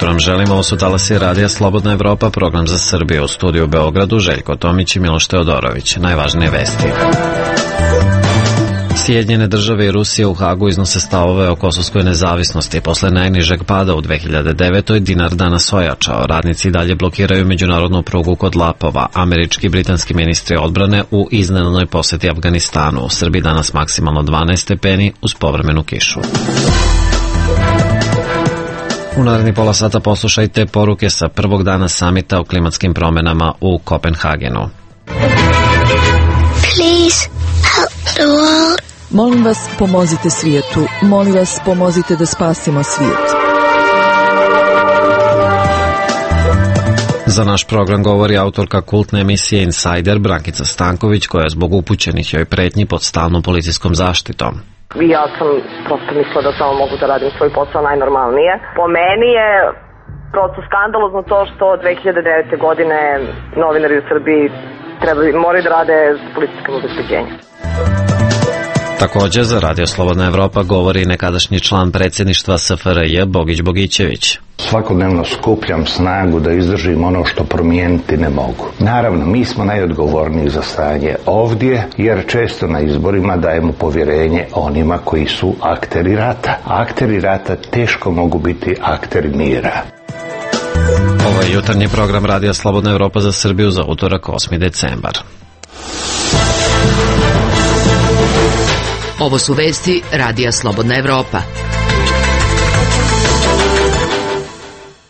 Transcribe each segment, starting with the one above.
jutro vam želimo, ovo su talasi Radija Slobodna Evropa, program za Srbiju. U studiju u Beogradu Željko Tomić i Miloš Teodorović. Najvažnije vesti. Sjedinjene države i Rusija u Hagu iznose stavove o kosovskoj nezavisnosti. Posle najnižeg pada u 2009. dinar danas ojačao. Radnici dalje blokiraju međunarodnu prugu kod Lapova. Američki i britanski ministri odbrane u iznenadnoj poseti Afganistanu. U Srbiji danas maksimalno 12 stepeni uz povremenu kišu. U naredni pola sata poslušajte poruke sa prvog dana samita o klimatskim promenama u Kopenhagenu. Please help the world. Molim vas, pomozite svijetu. Molim vas, pomozite da spasimo svijet. Za naš program govori autorka kultne emisije Insider Brankica Stanković, koja je zbog upućenih joj pretnji pod stalnom policijskom zaštitom. Ja sam prosto mislila da samo mogu da radim svoj posao najnormalnije. Po meni je prosto skandalozno to što 2009. godine novinari u Srbiji moraju da rade s policijskim obezbeđenjem. Također za Radio Slobodna Evropa govori nekadašnji član predsjedništva SFRJ Bogić Bogićević. Svakodnevno skupljam snagu da izdržim ono što promijeniti ne mogu. Naravno, mi smo najodgovorniji za stanje ovdje, jer često na izborima dajemo povjerenje onima koji su akteri rata. Akteri rata teško mogu biti akteri mira. Ovo je jutarnji program Radija Slobodna Evropa za Srbiju za utorak 8. decembar. Ovo su vesti Radija Slobodna Evropa.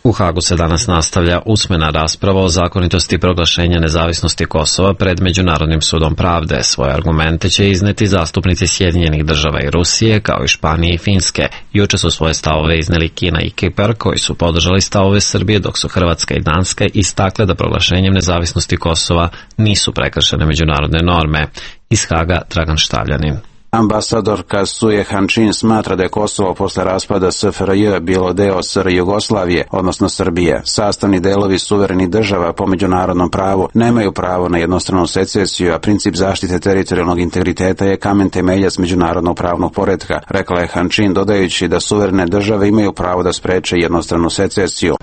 U Hagu se danas nastavlja usmena rasprava o zakonitosti proglašenja nezavisnosti Kosova pred Međunarodnim sudom pravde. Svoje argumente će izneti zastupnici Sjedinjenih država i Rusije, kao i Španije i Finske. Juče su svoje stavove izneli Kina i Kipar, koji su podržali stavove Srbije, dok su Hrvatska i Danska istakle da proglašenjem nezavisnosti Kosova nisu prekršene međunarodne norme. Iz Haga Dragan Štavljanin. Ambasadorka Suje Hančin smatra da je Kosovo posle raspada SFRJ bilo deo SR Jugoslavije, odnosno Srbije. Sastavni delovi suverenih država po međunarodnom pravu nemaju pravo na jednostranu secesiju, a princip zaštite teritorijalnog integriteta je kamen temeljac međunarodnog pravnog poretka, rekla je Hančin, dodajući da suverene države imaju pravo da spreče jednostranu secesiju.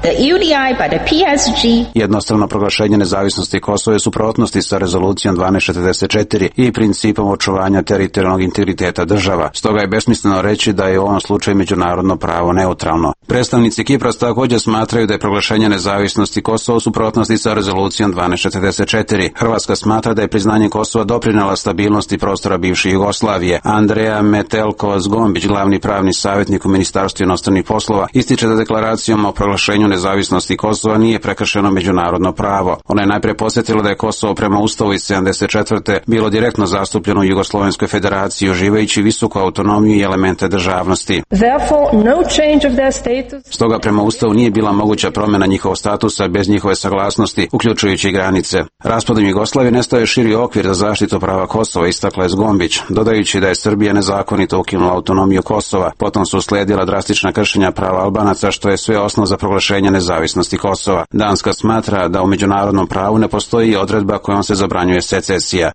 Jednostrano proglašenje nezavisnosti Kosova je suprotnosti sa rezolucijom 1244 i principom očuvanja teritorijalnog integriteta država. Stoga je besmisleno reći da je u ovom slučaju međunarodno pravo neutralno. Predstavnici Kipra također smatraju da je proglašenje nezavisnosti Kosova u suprotnosti sa rezolucijom 1244. Hrvatska smatra da je priznanje Kosova doprinela stabilnosti prostora bivše Jugoslavije. Andreja Metelko-Zgombić, glavni pravni savjetnik u Ministarstvu inostranih poslova, ističe da deklaracijom o proglašenju nezavisnosti Kosova nije prekršeno međunarodno pravo. Ona je najprije podsjetila da je Kosovo prema Ustavu iz 74. bilo direktno zastupljeno u Jugoslovenskoj federaciji, uživajući visoku autonomiju i elemente državnosti. Stoga prema Ustavu nije bila moguća promjena njihovog statusa bez njihove saglasnosti, uključujući i granice. Raspadom Jugoslavije nestao je širi okvir za zaštitu prava Kosova, istakla je Zgombić, dodajući da je Srbija nezakonito ukinula autonomiju Kosova. Potom su uslijedila drastična kršenja prava Albanaca, što je sve osnov za proglašenje nezavisnosti Kosova. Danska smatra da u međunarodnom pravu ne postoji odredba kojom se zabranjuje secesija.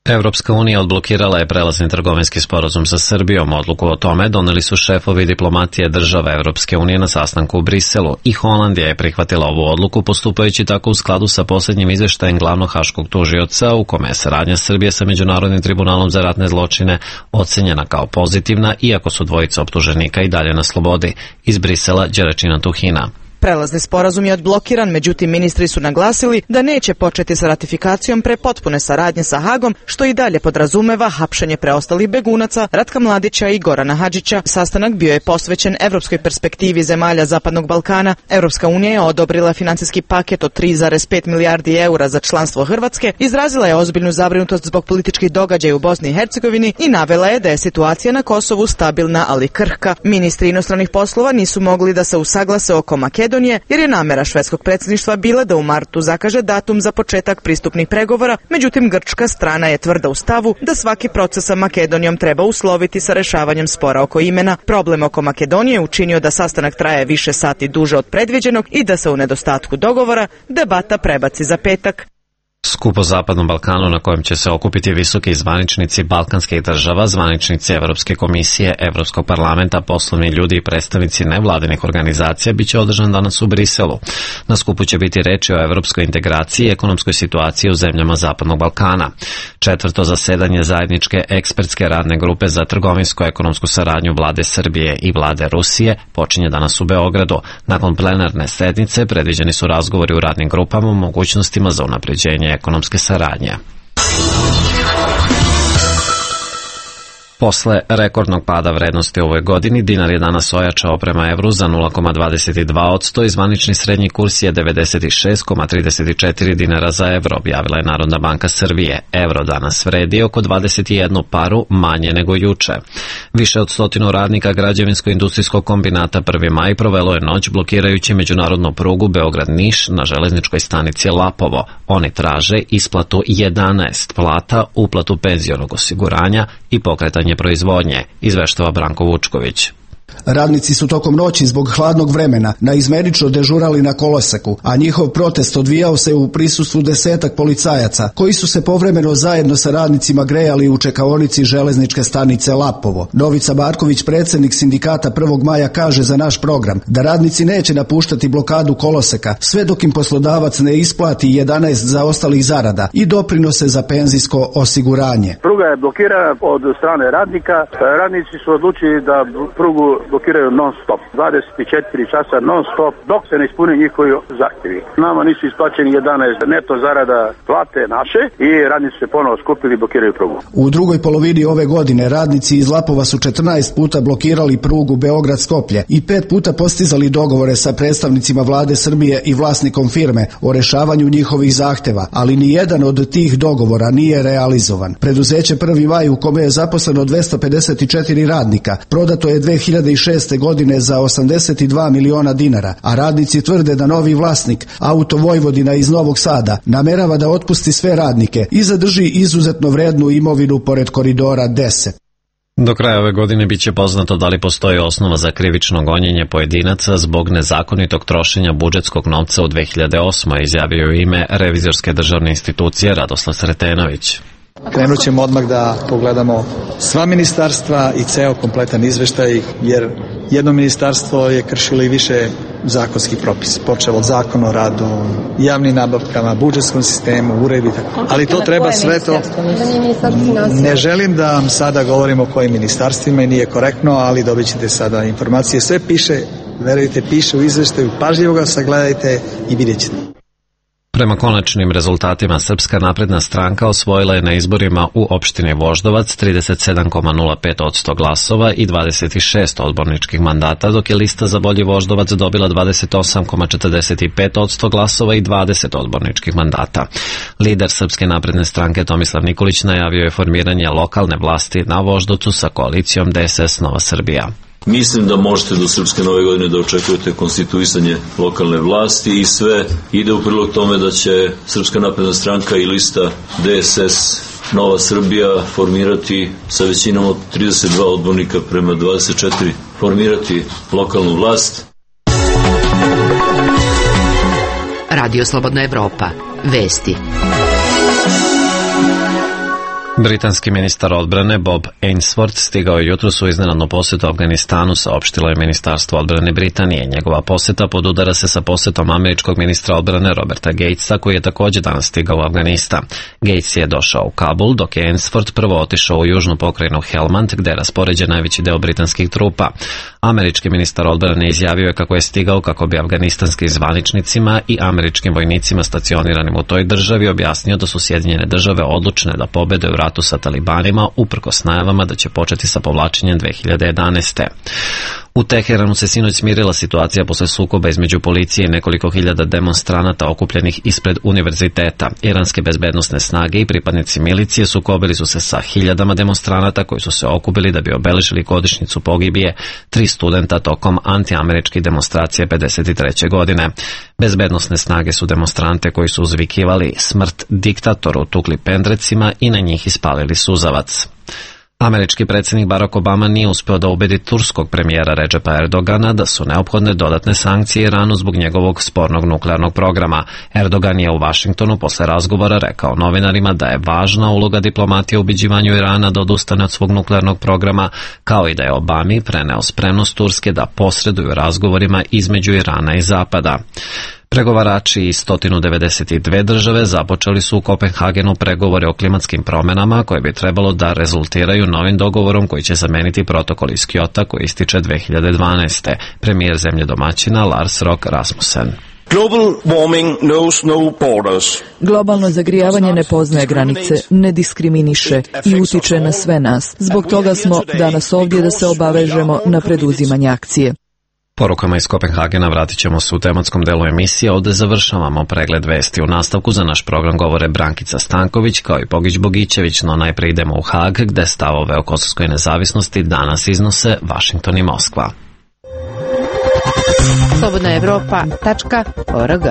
Evropska unija odblokirala je prelazni trgovinski sporazum sa Srbijom. Odluku o tome doneli su šefovi diplomatije država Evropske unije na sastanku u Briselu i Holandija je prihvatila ovu odluku postupajući tako u skladu sa posljednjim izveštajem glavnog haškog tužioca u kome je saradnja Srbije sa Međunarodnim tribunalom za ratne zločine ocenjena kao pozitivna, iako su dvojica optuženika i dalje na slobodi. Iz Brisela Đeračina Tuhina. Prelazni sporazum je odblokiran, međutim ministri su naglasili da neće početi sa ratifikacijom pre potpune saradnje sa Hagom, što i dalje podrazumeva hapšenje preostalih begunaca Ratka Mladića i Gorana Hadžića. Sastanak bio je posvećen evropskoj perspektivi zemalja Zapadnog Balkana. Evropska unija je odobrila financijski paket od 3,5 milijardi eura za članstvo Hrvatske, izrazila je ozbiljnu zabrinutost zbog političkih događaja u Bosni i Hercegovini i navela je da je situacija na Kosovu stabilna, ali krhka. Ministri inostranih poslova nisu mogli da se usaglase oko Makedonije, jer je namera švedskog predsjedništva bila da u martu zakaže datum za početak pristupnih pregovora, međutim grčka strana je tvrda u stavu da svaki proces sa Makedonijom treba usloviti sa rešavanjem spora oko imena. Problem oko Makedonije učinio da sastanak traje više sati duže od predviđenog i da se u nedostatku dogovora debata prebaci za petak. Skup o Zapadnom Balkanu na kojem će se okupiti visoki zvaničnici balkanskih država, zvaničnici Evropske komisije, Evropskog parlamenta, poslovni ljudi i predstavnici nevladinih organizacija biće održan danas u Briselu. Na skupu će biti reči o evropskoj integraciji i ekonomskoj situaciji u zemljama Zapadnog Balkana. Četvrto zasedanje zajedničke ekspertske radne grupe za trgovinsko-ekonomsku saradnju vlade Srbije i vlade Rusije počinje danas u Beogradu. Nakon plenarne sednice predviđeni su razgovori u radnim grupama o mogućnostima za unapređenje ekonomske saradnje. Posle rekordnog pada vrednosti u ovoj godini, dinar je danas ojačao prema evru za 0,22% i zvanični srednji kurs je 96,34 dinara za evro, objavila je Narodna banka Srbije. Evro danas vredi oko 21 paru manje nego juče. Više od 100 radnika građevinsko-industrijskog kombinata 1. maj provelo je noć blokirajući međunarodnu prugu Beograd-Niš na železničkoj stanici Lapovo. Oni traže isplatu 11 plata, uplatu penzionog osiguranja i pokretanje proizvodnje, izveštava Branko Vučković. Radnici su tokom noći zbog hladnog vremena naizmenično dežurali na koloseku, a njihov protest odvijao se u prisustvu 10 policajaca, koji su se povremeno zajedno sa radnicima grejali u čekaonici železničke stanice Lapovo. Novica Marković, predsjednik sindikata 1. maja, kaže za naš program da radnici neće napuštati blokadu koloseka sve dok im poslodavac ne isplati 11 zaostalih zarada i doprinose za penzijsko osiguranje. Pruga je blokirana od strane radnika. Radnici su odlučili da prugu blokiraju non stop, 24 časa non stop, dok se ne ispuni njihovi zahtjevi. Nama nisu isplaćeni 11 neto zarada plate naše i radnici se ponovo skupili i blokiraju prugu. U drugoj polovini ove godine radnici iz Lapova su 14 puta blokirali prugu Beograd-Skoplje i 5 puta postizali dogovore sa predstavnicima vlade Srbije i vlasnikom firme o rešavanju njihovih zahteva, ali ni jedan od tih dogovora nije realizovan. Preduzeće 1. maj, u kome je zaposleno 254 radnika, prodato je 2006. godine za 82 miliona dinara, a radnici tvrde da novi vlasnik, Auto Vojvodina iz Novog Sada, namerava da otpusti sve radnike i zadrži izuzetno vrednu imovinu pored koridora 10. Do kraja ove godine biće poznato da li postoji osnova za krivično gonjenje pojedinaca zbog nezakonitog trošenja budžetskog novca u 2008. izjavio u ime Revizorske državne institucije Radoslav Sretenović. Krenut ćemo odmah da pogledamo sva ministarstva i ceo kompletan izveštaj, jer jedno ministarstvo je kršilo i više zakonskih propisa, počeo od zakona o radu, javnim nabavkama, budžetskom sistemu, uredu i tako. Ali to treba sve to. Ne želim da vam sada govorim o kojim ministarstvima i nije korektno, ali dobit ćete sada informacije. Sve piše, verujte, piše u izveštaju, pažljivo ga sagledajte i vidjet ćete. Prema konačnim rezultatima, Srpska napredna stranka osvojila je na izborima u opštini Voždovac 37,05% glasova i 26 odborničkih mandata, dok je lista za bolji Voždovac dobila 28,45% glasova i 20 odborničkih mandata. Lider Srpske napredne stranke Tomislav Nikolić najavio je formiranje lokalne vlasti na Voždovcu sa koalicijom DSS Nova Srbija. Mislim da možete do Srpske nove godine da očekujete konstituisanje lokalne vlasti i sve ide u prilog tome da će Srpska napredna stranka i lista DSS Nova Srbija formirati sa većinom od 32 odbornika prema 24 formirati lokalnu vlast. Radio Slobodna Evropa. Vesti. Britanski ministar odbrane Bob Ainsworth stigao je jutros u iznenadnu posetu Afganistanu, saopštilo je Ministarstvo odbrane Britanije. Njegova poseta podudara se sa posetom američkog ministra odbrane Roberta Gatesa, koji je također danas stigao u Afganistan. Gates je došao u Kabul, dok je Ainsworth prvo otišao u južnu pokrajinu Helmand, gde je raspoređen najveći deo britanskih trupa. Američki ministar odbrane izjavio je kako je stigao kako bi afganistanskim zvaničnicima i američkim vojnicima stacioniranim u toj državi objasnio da su Sjedinjene države odlučne da pobede u ratu sa talibanima, uprkos najavama da će početi sa povlačenjem 2011. U Teheranu se sinoć smirila situacija posle sukoba između policije i nekoliko hiljada demonstranata okupljenih ispred univerziteta. Iranske bezbednosne snage i pripadnici milicije sukobili su se sa hiljadama demonstranata koji su se okupili da bi obeležili godišnjicu pogibije 3 studenta tokom antiameričkih demonstracija 53. godine. Bezbednosne snage su demonstrante koji su uzvikivali smrt diktatoru tukli pendrecima i na njih ispalili suzavac. Američki predsjednik Barack Obama nije uspeo da ubedi turskog premijera Redžepa Erdogana da su neophodne dodatne sankcije Iranu zbog njegovog spornog nuklearnog programa. Erdogan je u Vašingtonu posle razgovora rekao novinarima da je važna uloga diplomatije u ubeđivanju Irana da odustane od svog nuklearnog programa, kao i da je Obami preneo spremnost Turske da posreduju razgovorima između Irana i Zapada. Pregovarači iz 192 države započeli su u Kopenhagenu pregovore o klimatskim promenama koje bi trebalo da rezultiraju novim dogovorom koji će zameniti protokol iz Kyota koji ističe 2012. Premijer zemlje domaćina Lars Rock Rasmussen. Globalno zagrijavanje ne poznaje granice, ne diskriminiše i utiče na sve nas. Zbog toga smo danas ovdje da se obavežemo na preduzimanje akcije. Porukama iz Kopenhagena vratit ćemo se u tematskom delu emisije, ovdje završavamo pregled vesti. U nastavku za naš program govore Brankica Stanković kao i Pogić Bogićević, no najprije idemo u Hag gde stavove o kosovskoj nezavisnosti danas iznose Vašington i Moskva. Slobodna Evropa.org.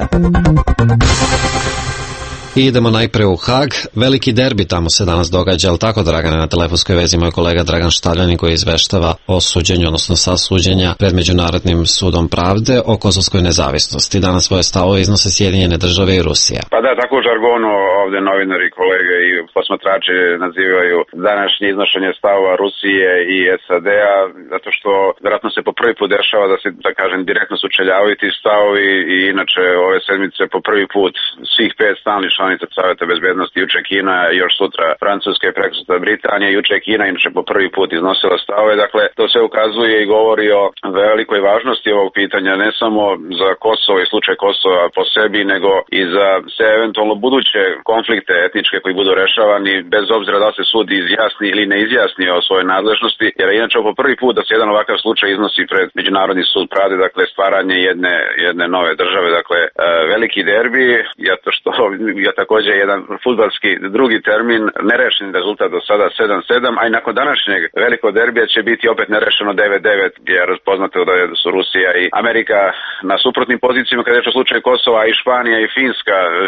I idemo najpre u Hag. Veliki derbi tamo se danas događa, ali tako, Dragane, na telefonskoj vezi moj kolega Dragan Štaljanin koji izveštava o suđenju, odnosno sasuđenja pred Međunarodnim sudom pravde o kosovskoj nezavisnosti. Danas svoje stavove iznose Sjedinjene države i Rusija. Pa da, tako u žargonu ovdje novinari, kolege i posmatrači nazivaju današnje iznošenje stavova Rusije i SAD-a, zato što vjerojatno se po prvi put dešava da se, da kažem, direktno sučeljavaju ti stavovi i inače ove sedmice po prvi put svih 5 stalnih članica Saveta bezbednosti, juče Kina, još sutra Francuska i prekosutra Britanija, juče Kina inače po prvi put iznosila stavove. Dakle, to sve ukazuje i govori o velikoj važnosti ovog pitanja, ne samo za Kosovo i slučaj Kosova po sebi, nego i za sve eventualno buduće konflikte etničke koji budu rešavani, bez obzira da se sud izjasni ili ne izjasni o svojoj nadležnosti, jer inače po prvi put da se jedan ovakav slučaj iznosi pred Međunarodni sud pravde, dakle stvaranje jedne nove države, dakle veliki derbi, zato što je također jedan fudbalski drugi termin, nerešen rezultat do sada 7-7, a i nakon današnjeg velikog derbija će biti opet nerešeno 9-9, jer poznato da su Rusija i Amerika na suprotnim pozicijama kada je u slučaju Kosova, i Španija i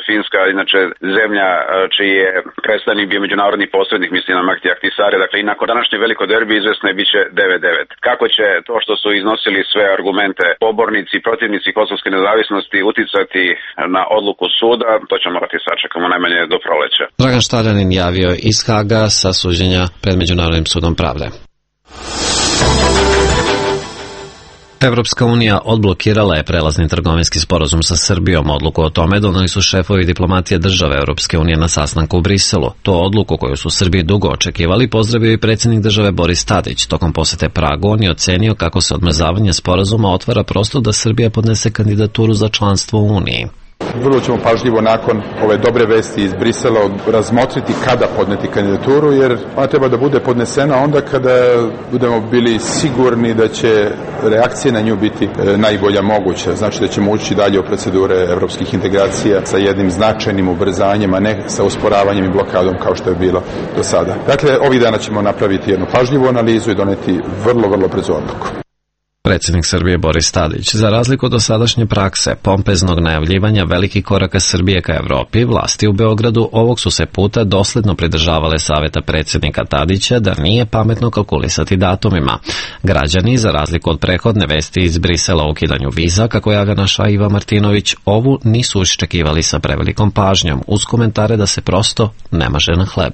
Finska inače zemlja čiji je predstavnik bio međunarodni posrednik, mislim na Mahdi Ahtisari, dakle i nakon današnjeg velikog derbija izvesno je bit će 9-9. Kako će to što su iznosili sve argumente pobornici i protivnici kosovske nezavisnosti uticati na odluku suda, to ćemo morati sačekamo najmanje do proleća. Dragan Štaljanin javio iz Haga sa suđenja pred Međunarodnim sudom pravde. Evropska unija odblokirala je prelazni trgovinski sporazum sa Srbijom. Odluku o tome doneli su šefovi diplomatije države Evropske unije na sastanku u Briselu. To odluku koju su Srbiji dugo očekivali pozdravio i predsjednik države Boris Tadić. Tokom posete Pragu on je ocenio kako se odmrzavanje sporazuma otvara prostor da Srbija podnese kandidaturu za članstvo u Uniji. Vrlo ćemo pažljivo nakon ove dobre vesti iz Brisela razmotriti kada podneti kandidaturu, jer ona treba da bude podnesena onda kada budemo bili sigurni da će reakcija na nju biti najbolja moguća. Znači da ćemo ući dalje u procedure evropskih integracija sa jednim značajnim ubrzanjem, a ne sa usporavanjem i blokadom kao što je bilo do sada. Dakle, ovih dana ćemo napraviti jednu pažljivu analizu i doneti vrlo brzo odluku. Predsjednik Srbije Boris Tadić, za razliku od dosadašnje prakse, pompeznog najavljivanja velikih koraka Srbije ka Evropi, vlasti u Beogradu ovog su se puta dosledno pridržavale savjeta predsjednika Tadića da nije pametno kalkulisati datumima. Građani, za razliku od prethodne vesti iz Brisela o ukidanju viza, kako je naša Iva Martinović, ovu nisu iščekivali sa prevelikom pažnjom, uz komentare da se prosto ne maže na hleb.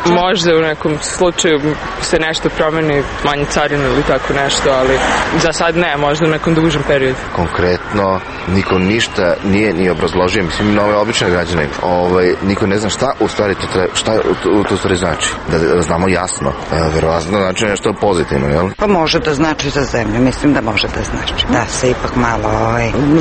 Možda u nekom slučaju se nešto promeni, manje carine ili tako nešto, ali za sad ne, možda u nekom dužem periodu. Konkretno, niko ništa nije ni obrazložio, mislim na ove obične građane. Niko ne zna šta u stvari to stvari znači. Da znamo jasno. Verovatno znači nešto pozitivno, jel? Pa može da znači za zemlju, mislim da može da znači. Da se ipak malo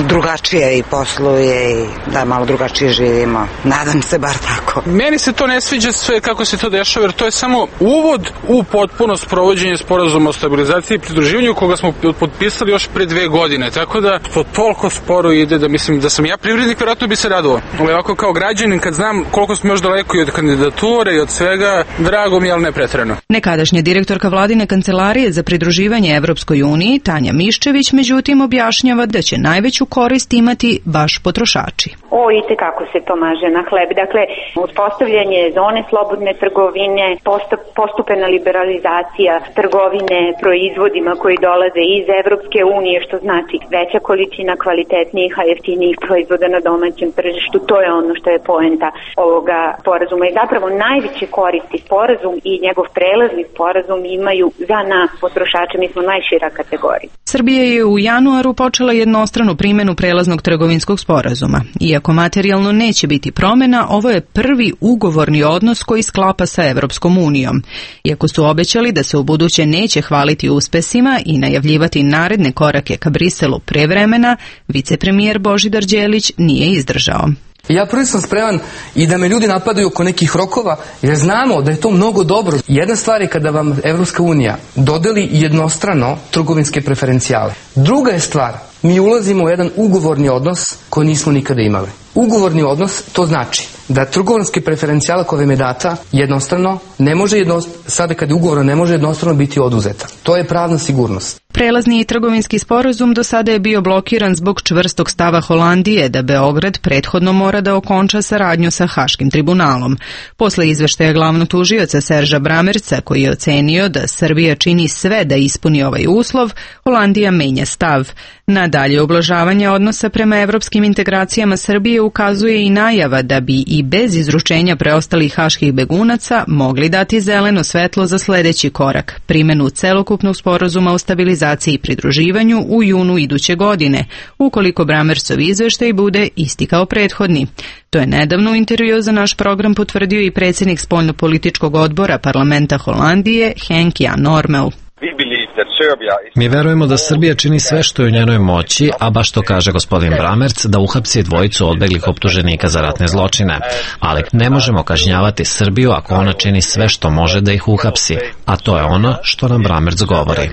drugačije i posluje i da malo drugačije živimo. Nadam se bar tako. Meni se to ne sviđa sve kako se to dešava, jer to je samo uvod u potpuno sprovođenje sporazuma o stabilizaciji i pridruživanju koga smo potpisali još pre 2 godine, tako da to toliko sporo ide da mislim da sam ja privrednik, vjerojatno bi se radovao. Ali ovako kao građanin kad znam koliko smo još daleko i od kandidature i od svega, drago mi je, ali ne preterano. Nekadašnja direktorka vladine kancelarije za pridruživanje Evropskoj uniji, Tanja Miščević, međutim objašnjava da će najveću korist imati baš potrošači. Itekako se to maže na hleb. Dakle, uspostavljanje zone slobodne trgovine trgovine, postupena liberalizacija trgovine proizvodima koji dolaze iz Evropske unije, što znači veća količina kvalitetnijih, a jeftinijih proizvoda na domaćem tržištu. To je ono što je poenta ovoga sporazuma. I zapravo najveće koristi sporazum i njegov prelazni sporazum imaju za nas potrošače. Mi smo najšira kategorija. Srbija je u januaru počela jednostranu primjenu prelaznog trgovinskog sporazuma. Iako materijalno neće biti promjena, ovo je prvi ugovorni odnos koji sklapa sa Evropskom unijom. Iako su obećali da se u buduće neće hvaliti uspesima i najavljivati naredne korake ka Briselu pre vremena, vicepremijer Božidar Đelić nije izdržao. Ja prvi sam spreman i da me ljudi napadaju oko nekih rokova, jer znamo da je to mnogo dobro. Jedna stvar je kada vam Evropska unija dodeli jednostrano trgovinske preferencijale. Druga je stvar, mi ulazimo u jedan ugovorni odnos koji nismo nikada imali. Ugovorni odnos, to znači da trgovinske preferencijale koje vam je data jednostrano, ne može sada kad je ugovorno, ne može jednostrano biti oduzeta. To je pravna sigurnost. Prelazni trgovinski sporazum do sada je bio blokiran zbog čvrstog stava Holandije da Beograd prethodno mora da okonča saradnju sa Haškim tribunalom. Posle izveštaja glavnog tužioca Serža Bramerca, koji je ocenio da Srbija čini sve da ispuni ovaj uslov, Holandija menja stav. Na dalje ublažavanje odnosa prema evropskim integracijama Srbije ukazuje i najava da bi i bez izručenja preostalih haških begunaca mogli dati zeleno svetlo za sledeći korak, primjenu celokupnog sporazuma o stabilizaciji i pridruživanju u junu iduće godine, ukoliko Bramercov izveštaj bude isti kao prethodni. To je nedavno u intervju za naš program potvrdio i predsjednik spoljnopolitičkog odbora parlamenta Holandije, Henk Jan Normel. Mi verujemo da Srbija čini sve što je u njenoj moći, a baš to kaže gospodin Bramerc, da uhapsi dvojicu odbeglih optuženika za ratne zločine. Ali ne možemo kažnjavati Srbiju ako ona čini sve što može da ih uhapsi, a to je ono što nam Bramerc govori.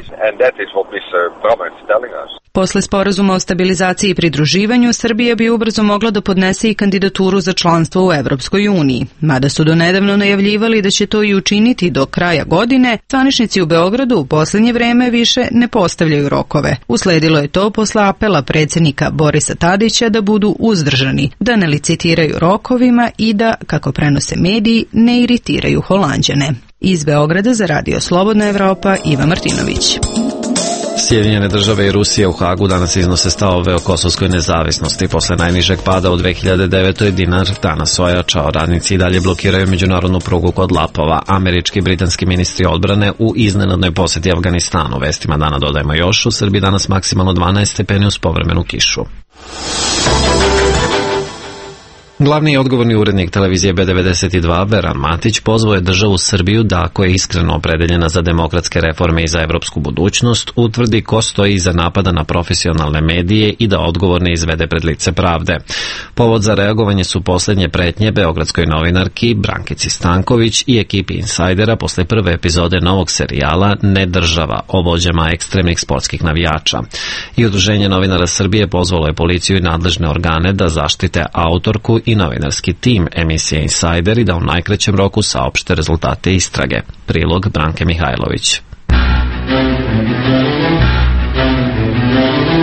Posle sporazuma o stabilizaciji i pridruživanju, Srbija bi ubrzo mogla da podnese i kandidaturu za članstvo u Evropskoj uniji. Mada su donedavno najavljivali da će to i učiniti do kraja godine, zvaničnici u Beogradu u posljednje vreme više ne postavljaju rokove. Usledilo je to posle apela predsjednika Borisa Tadića da budu uzdržani, da ne licitiraju rokovima i da, kako prenose mediji, ne iritiraju Holanđane. Iz Beograda za Radio Slobodna Evropa, Iva Martinović. Sjedinjene države i Rusija u Hagu danas iznose stavove o kosovskoj nezavisnosti. Posle najnižeg pada u 2009. dinar danas ojačao. Radnici i dalje blokiraju međunarodnu prugu kod Lapova. Američki i britanski ministri odbrane u iznenadnoj posjeti Afganistanu. Vestima dana dodajemo još, u Srbiji danas maksimalno 12 stepeni uz povremenu kišu. Glavni i odgovorni urednik televizije B92, Veran Matić, pozvao je državu Srbiju da, ako je iskreno opredeljena za demokratske reforme i za evropsku budućnost, utvrdi ko stoji iza napada na profesionalne medije i da odgovorne izvede pred lice pravde. Povod za reagovanje su posljednje pretnje beogradskoj novinarki Brankici Stanković i ekipi Insajdera posle prve epizode novog serijala Ne država o vođama ekstremnih sportskih navijača. I Udruženje novinara Srbije pozvalo je policiju i nadležne organe da zaštite autorku i novinarski tim emisije Insajder i da u najkraćem roku saopšte rezultate istrage. Prilog Branke Mihajlović.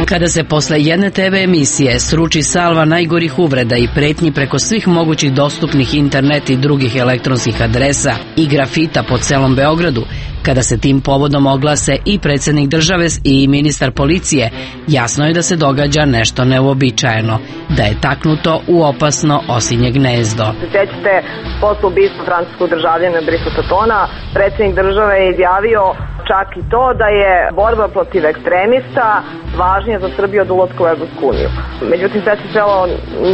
Kada se posle jedne TV emisije sruči salva najgorih uvreda i pretnji preko svih mogućih dostupnih internet i drugih elektronskih adresa i grafita po celom Beogradu, kada se tim povodom oglase i predsjednik države i ministar policije, jasno je da se događa nešto neuobičajeno, da je taknuto u opasno osinje gnezdo. Sećate, posle ubistva francuskog državljana Brisa Tatona, predsjednik države je izjavio čak i to da je borba protiv ekstremista važnija za Srbiju od ulaska u Evropsku uniju. Međutim, sve se svelo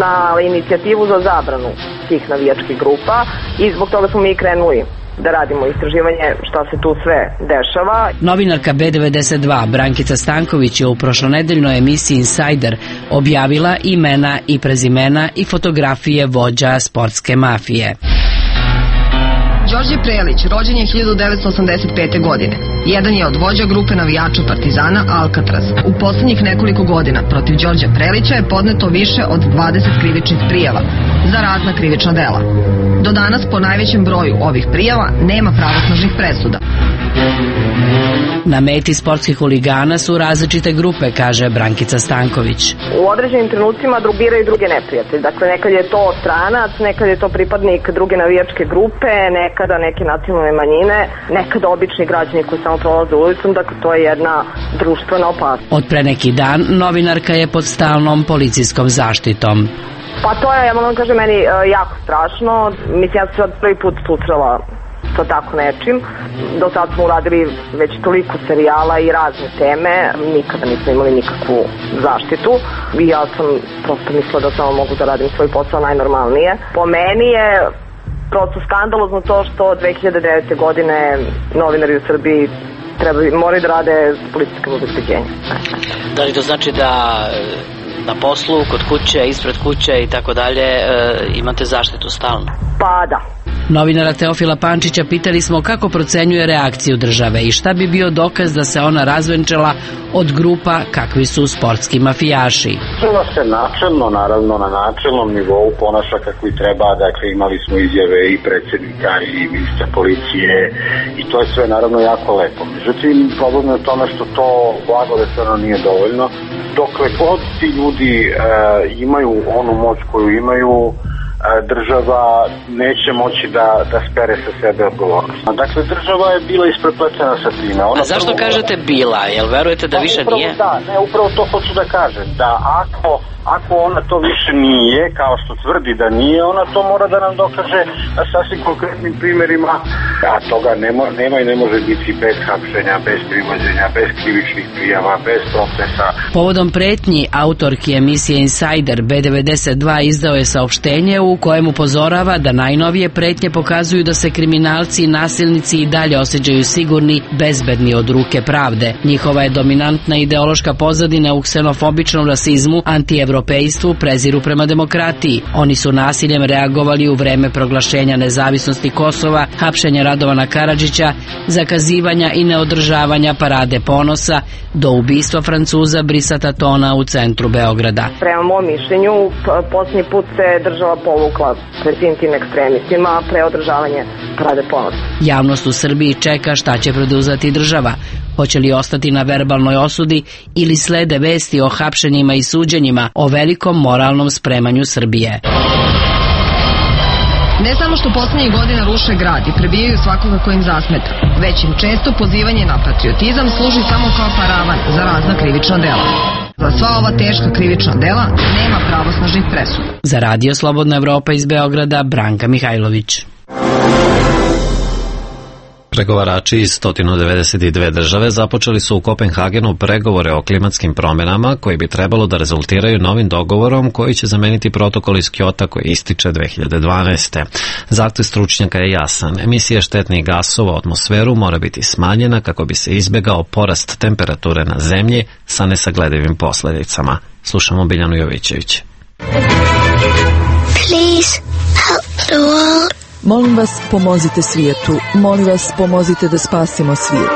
na inicijativu za zabranu tih navijačkih grupa i zbog toga smo mi krenuli da radimo istraživanje šta se tu sve dešava. Novinarka B92 Brankica Stanković je u prošlonedeljnoj emisiji Insajder objavila imena i prezimena i fotografije vođa sportske mafije. Đorđe Prelić, rođen je 1985. godine. Jedan je od vođa grupe navijača Partizana Alcatraz. U poslednjih nekoliko godina protiv Đorđa Prelića je podneto više od 20 krivičnih prijava za razna krivična dela. Do Do danas po najvećem broju ovih prijava nema pravosnažnih presuda. Na meti sportskih huligana su različite grupe, kaže Brankica Stanković. U određenim trenucima biraju druge neprijatelje. Dakle, nekad je to stranac, nekad je to pripadnik druge navijačke grupe, nekada neke nacionalne manjine, nekada obični građani koji samo prolaze ulicom. Dakle, to je jedna društvena opasnost. Od pre neki dan novinarka je pod stalnom policijskom zaštitom. Pa to je, ja moram kažem, meni jako strašno. Mislim, ja sam sad prvi put susrela sa tako nečim. Do sad smo uradili već toliko serijala i razne teme, nikada nismo imali nikakvu zaštitu i ja sam prosto mislila da samo mogu da radim svoj posao najnormalnije. Po meni je prosto skandalozno to što 2009. godine novinari u Srbiji moraju da rade s policijskim obezbeđenjem. Da li to znači da na poslu, kod kuće, ispred kuće i tako dalje imate zaštitu stalno? Pa da. Novinara Teofila Pančića pitali smo kako procenjuje reakciju države i šta bi bio dokaz da se ona razvenčala od grupa kakvi su sportski mafijaši. Država se načelno, naravno na načelnom nivou ponaša kako i treba, dakle imali smo izjave i predsjednika i ministra policije i to je sve naravno jako lepo. Međutim, problem je u tome što to blago rečeno nije dovoljno. Dokle god ti ljudi imaju onu moć koju imaju, država neće moći da spere sa sebe odgovornost. Dakle, država je bila isprepletena sa time. A zašto kažete bila? Jel verujete da više nije? Da, ne, upravo to hoću da kažem. Da ako ona to više nije, kao što tvrdi da nije, ona to mora da nam dokaže na sasvim konkretnim primjerima. A toga nema i ne može biti bez hapšenja, bez privođenja, bez krivičnih prijava, bez procesa. Povodom pretnji, autorki emisije Insider B92 izdao je saopštenje u kojem upozorava da najnovije pretnje pokazuju da se kriminalci i nasilnici i dalje osjećaju sigurni, bezbedni od ruke pravde. Njihova je dominantna ideološka pozadina u ksenofobičnom rasizmu, antievropejstvu, preziru prema demokratiji. Oni su nasiljem reagovali u vreme proglašenja nezavisnosti Kosova, hapšenja Radovana Karadžića, zakazivanja i neodržavanja parade ponosa, do ubistva Francuza Brisata Tona u centru Beograda. Prema mom mišljenju, posljednji put se država povukla pred tim ekstremistima pre održavanje parade ponosa. Javnost u Srbiji čeka šta će preduzeti država. Hoće li ostati na verbalnoj osudi ili slede vesti o hapšenjima i suđenjima, o velikom moralnom spremanju Srbije. Ne samo što posljednjih godina ruše grad i prebijaju svakoga ko im zasmeta, već im često pozivanje na patriotizam služi samo kao paravan za razna krivična dela. Za sva ova teška krivična dela nema pravosnažnih presuda. Za Radio Slobodna Evropa iz Beograda, Branka Mihajlović. Pregovarači iz 192 države započeli su u Kopenhagenu pregovore o klimatskim promjenama koji bi trebalo da rezultiraju novim dogovorom koji će zameniti protokol iz Kjota koji ističe 2012. Zahtev stručnjaka je jasan. Emisija štetnih gasova u atmosferu mora biti smanjena kako bi se izbjegao porast temperature na zemlji sa nesagledivim posljedicama. Slušamo Biljanu Jovićević. Please help the world. Molim vas, pomozite svijetu. Molim vas, pomozite da spasimo svijet.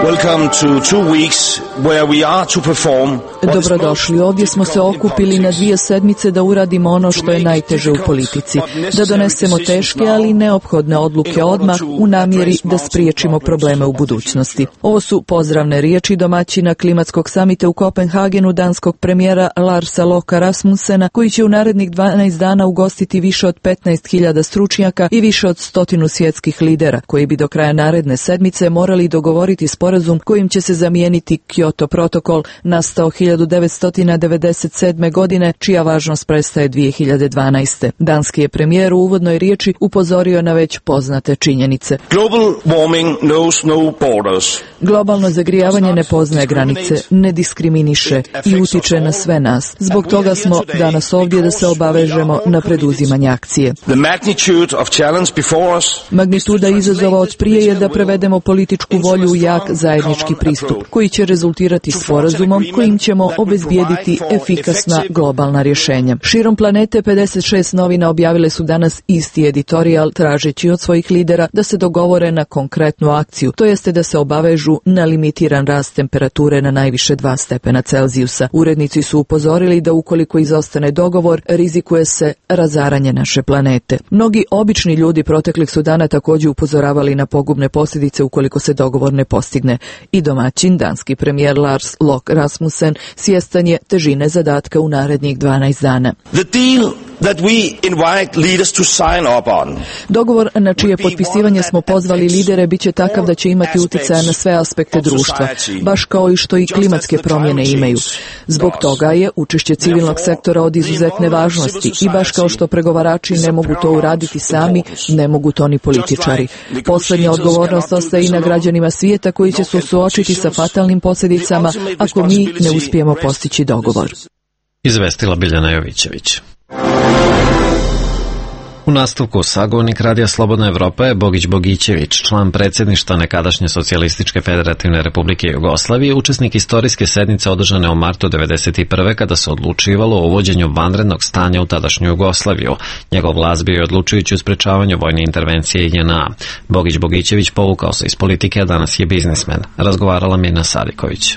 Welcome to 2 weeks where we are to perform. Dobrodošli, ovdje smo se okupili na 2 sedmice da uradimo ono što je najteže u politici. Da donesemo teške, ali neophodne odluke odmah u namjeri da spriječimo probleme u budućnosti. Ovo su pozdravne riječi domaćina klimatskog samita u Kopenhagenu danskog premijera Larsa Loka Rasmussena, koji će u narednih 12 dana ugostiti više od 15.000 stručnjaka i više od 100 svjetskih lidera, koji bi do kraja naredne sedmice morali dogovoriti sporazum kojim će se zamijeniti Kyoto protokol, nastao 1997. godine, čija važnost prestaje 2012. Danski je premijer u uvodnoj riječi upozorio na već poznate činjenice. Global warming knows no borders. Globalno zagrijavanje ne poznaje granice, ne diskriminiše i utiče na sve nas. Zbog toga smo danas ovdje da se obavežemo na preduzimanje akcije. Magnituda izazova od prije je da prevedemo političku volju u jak zajednički pristup, koji će rezultirati rezultirati sporazumom kojim ćemo obezbijediti efikasna globalna rješenja. Širom planete 56 novina objavile su danas isti editorijal tražeći od svojih lidera da se dogovore na konkretnu akciju, to jeste da se obavežu na limitiran rast temperature na najviše 2 stepena Celzijusa. Urednici su upozorili da ukoliko izostane dogovor, rizikuje se razaranje naše planete. Mnogi obični ljudi proteklih su dana također upozoravali na pogubne posljedice ukoliko se dogovor ne postigne. I domaćin, danski premijer Lars Løkke Rasmussen, svjestan je težine zadatka u narednih 12 dana. Dogovor na čije potpisivanje smo pozvali lidere bit će takav da će imati utjecaja na sve aspekte društva, baš kao i što i klimatske promjene imaju. Zbog toga je učešće civilnog sektora od izuzetne važnosti i baš kao što pregovarači ne mogu to uraditi sami, ne mogu to ni političari. Posljednja odgovornost ostaje i na građanima svijeta koji će se suočiti sa fatalnim posljedicama ako mi ne uspijemo postići dogovor. Izvestila Biljana Jovićević. U nastavku sagovornik Radija Slobodna Evropa je Bogić Bogićević, član predsjedništva nekadašnje Socijalističke federativne republike Jugoslavije, učesnik istorijske sednice održane u martu 1991. kada se odlučivalo o uvođenju vanrednog stanja u tadašnju Jugoslaviju. Njegov glas bio je odlučujući u sprečavanju vojne intervencije JNA. Bogić Bogićević povukao se iz politike, a danas je biznismen. Razgovarala Mirna Sadiković.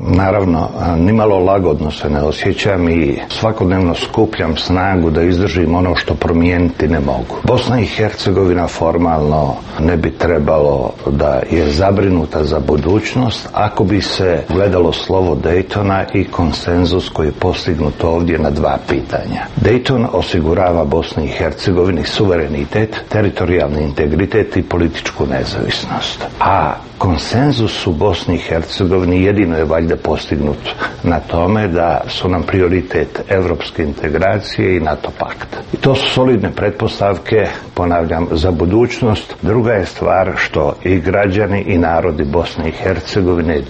Naravno, nimalo lagodno se ne osjećam i svakodnevno skupljam snagu da izdržim ono što promijeniti ne mogu. Bosna i Hercegovina formalno ne bi trebalo da je zabrinuta za budućnost ako bi se gledalo slovo Daytona i konsenzus koji je postignut ovdje na 2 pitanja. Dayton osigurava Bosni i Hercegovini suverenitet, teritorijalni integritet i političku nezavisnost. A konsenzus u Bosni i Hercegovini jedino je valjda postignut na tome da su nam prioritet evropske integracije i NATO pakt. I to su solidne pretpostavke, ponavljam, za budućnost. Druga je stvar što i građani i narodi Bosne i Hercegovine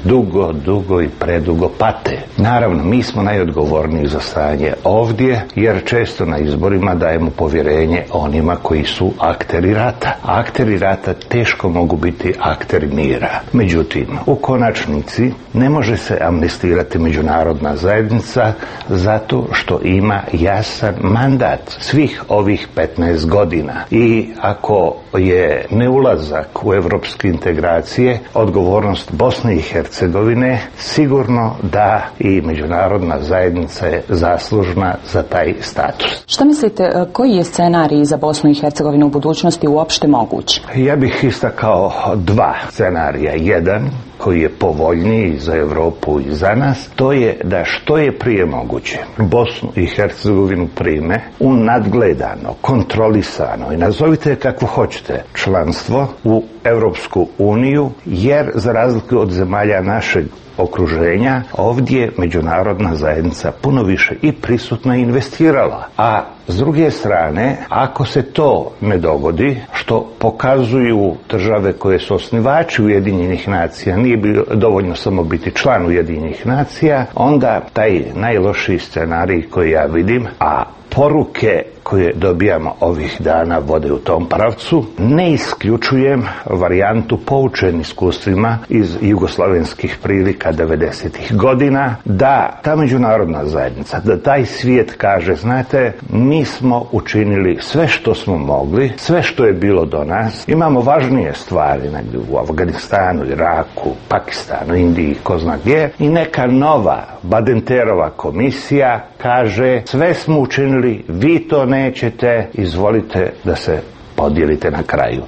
dugo i predugo pate. Naravno, mi smo najodgovorniji za stanje ovdje, jer često na izborima dajemo povjerenje onima koji su akteri rata. Akteri rata teško mogu biti akteri mira. Međutim, u konačnici ne može se amnestirati međunarodna zajednica zato što ima jasan mandat svih ovih 15 godina. I ako je neulazak u evropske integracije odgovornost Bosne i Hercegovine, sigurno da i međunarodna zajednica je zaslužna za taj status. Šta mislite, koji je scenarij za Bosnu i Hercegovinu u budućnosti uopšte moguć? Ja bih istakao 2 scenarija. Jedan koji je povoljniji za Europu i za nas, to je da što je prije moguće Bosnu i Hercegovinu prime u nadgledano, kontrolisano i nazovite kako hoćete članstvo u Europsku uniju, jer za razliku od zemalja našeg okruženja, ovdje međunarodna zajednica puno više i prisutno investirala. A s druge strane, ako se to ne dogodi, što pokazuju države koje su osnivači Ujedinjenih nacija, nije bilo dovoljno samo biti član Ujedinjenih nacija, onda taj najlošiji scenarij koji ja vidim, a poruke koje dobijamo ovih dana vode u tom pravcu, ne isključujem varijantu poučen iskustvima iz jugoslavenskih prilika 90-ih godina, da ta međunarodna zajednica, da taj svijet kaže, znate, mi smo učinili sve što smo mogli, sve što je bilo do nas, imamo važnije stvari negdje u Afganistanu, Iraku, Pakistanu, Indiji, ko zna gdje, i neka nova Badenterova komisija kaže, sve smo učinili, vi to nećete, izvolite da se podijelite na kraju.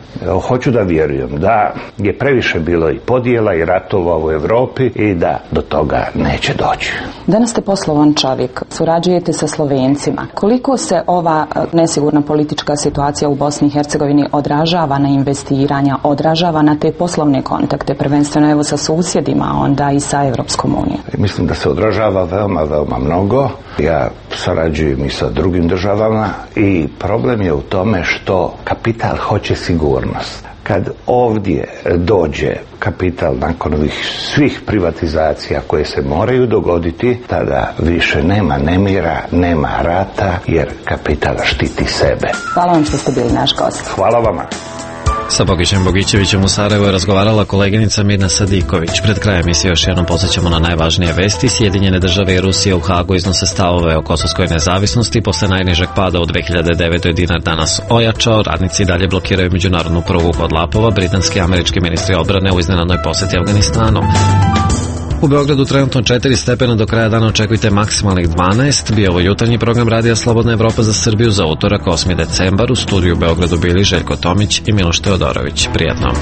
Hoću da vjerujem da je previše bilo i podjela i ratova u Europi i da do toga neće doći. Danas ste poslovan čovjek, surađujete sa Slovencima. Koliko se ova nesigurna politička situacija u Bosni i Hercegovini odražava na investiranja, odražava na te poslovne kontakte, prvenstveno evo sa susjedima, onda i sa Evropskom unijom? Mislim da se odražava veoma mnogo. Ja sarađujem i sa drugim državama i problem je u tome što kapital hoće sigurnost. Kad ovdje dođe kapital nakon ovih svih privatizacija koje se moraju dogoditi, tada više nema nemira, nema rata, jer kapital štiti sebe. Hvala vam što ste bili naš gost. Hvala vama. Sa Bogićem Bogićevićem u Sarajevu je razgovarala koleginica Mirna Sadiković. Pred krajem emisije još jednom podsjećamo na najvažnije vesti. Sjedinjene države i Rusija u Hagu iznose stavove o kosovskoj nezavisnosti. Posle najnižeg pada u 2009. je dinar danas ojačao. Radnici dalje blokiraju međunarodnu prugu kod Lapova. Britanski i američki ministri odbrane u iznenadnoj posjeti Afganistanu. U Beogradu trenutno 4 stepena, do kraja dana očekujte maksimalnih 12. Bio ovo jutarnji program Radija Slobodna Evropa za Srbiju za utorak 8. decembar. U studiju u Beogradu bili Željko Tomić i Miloš Teodorović. Prijatno.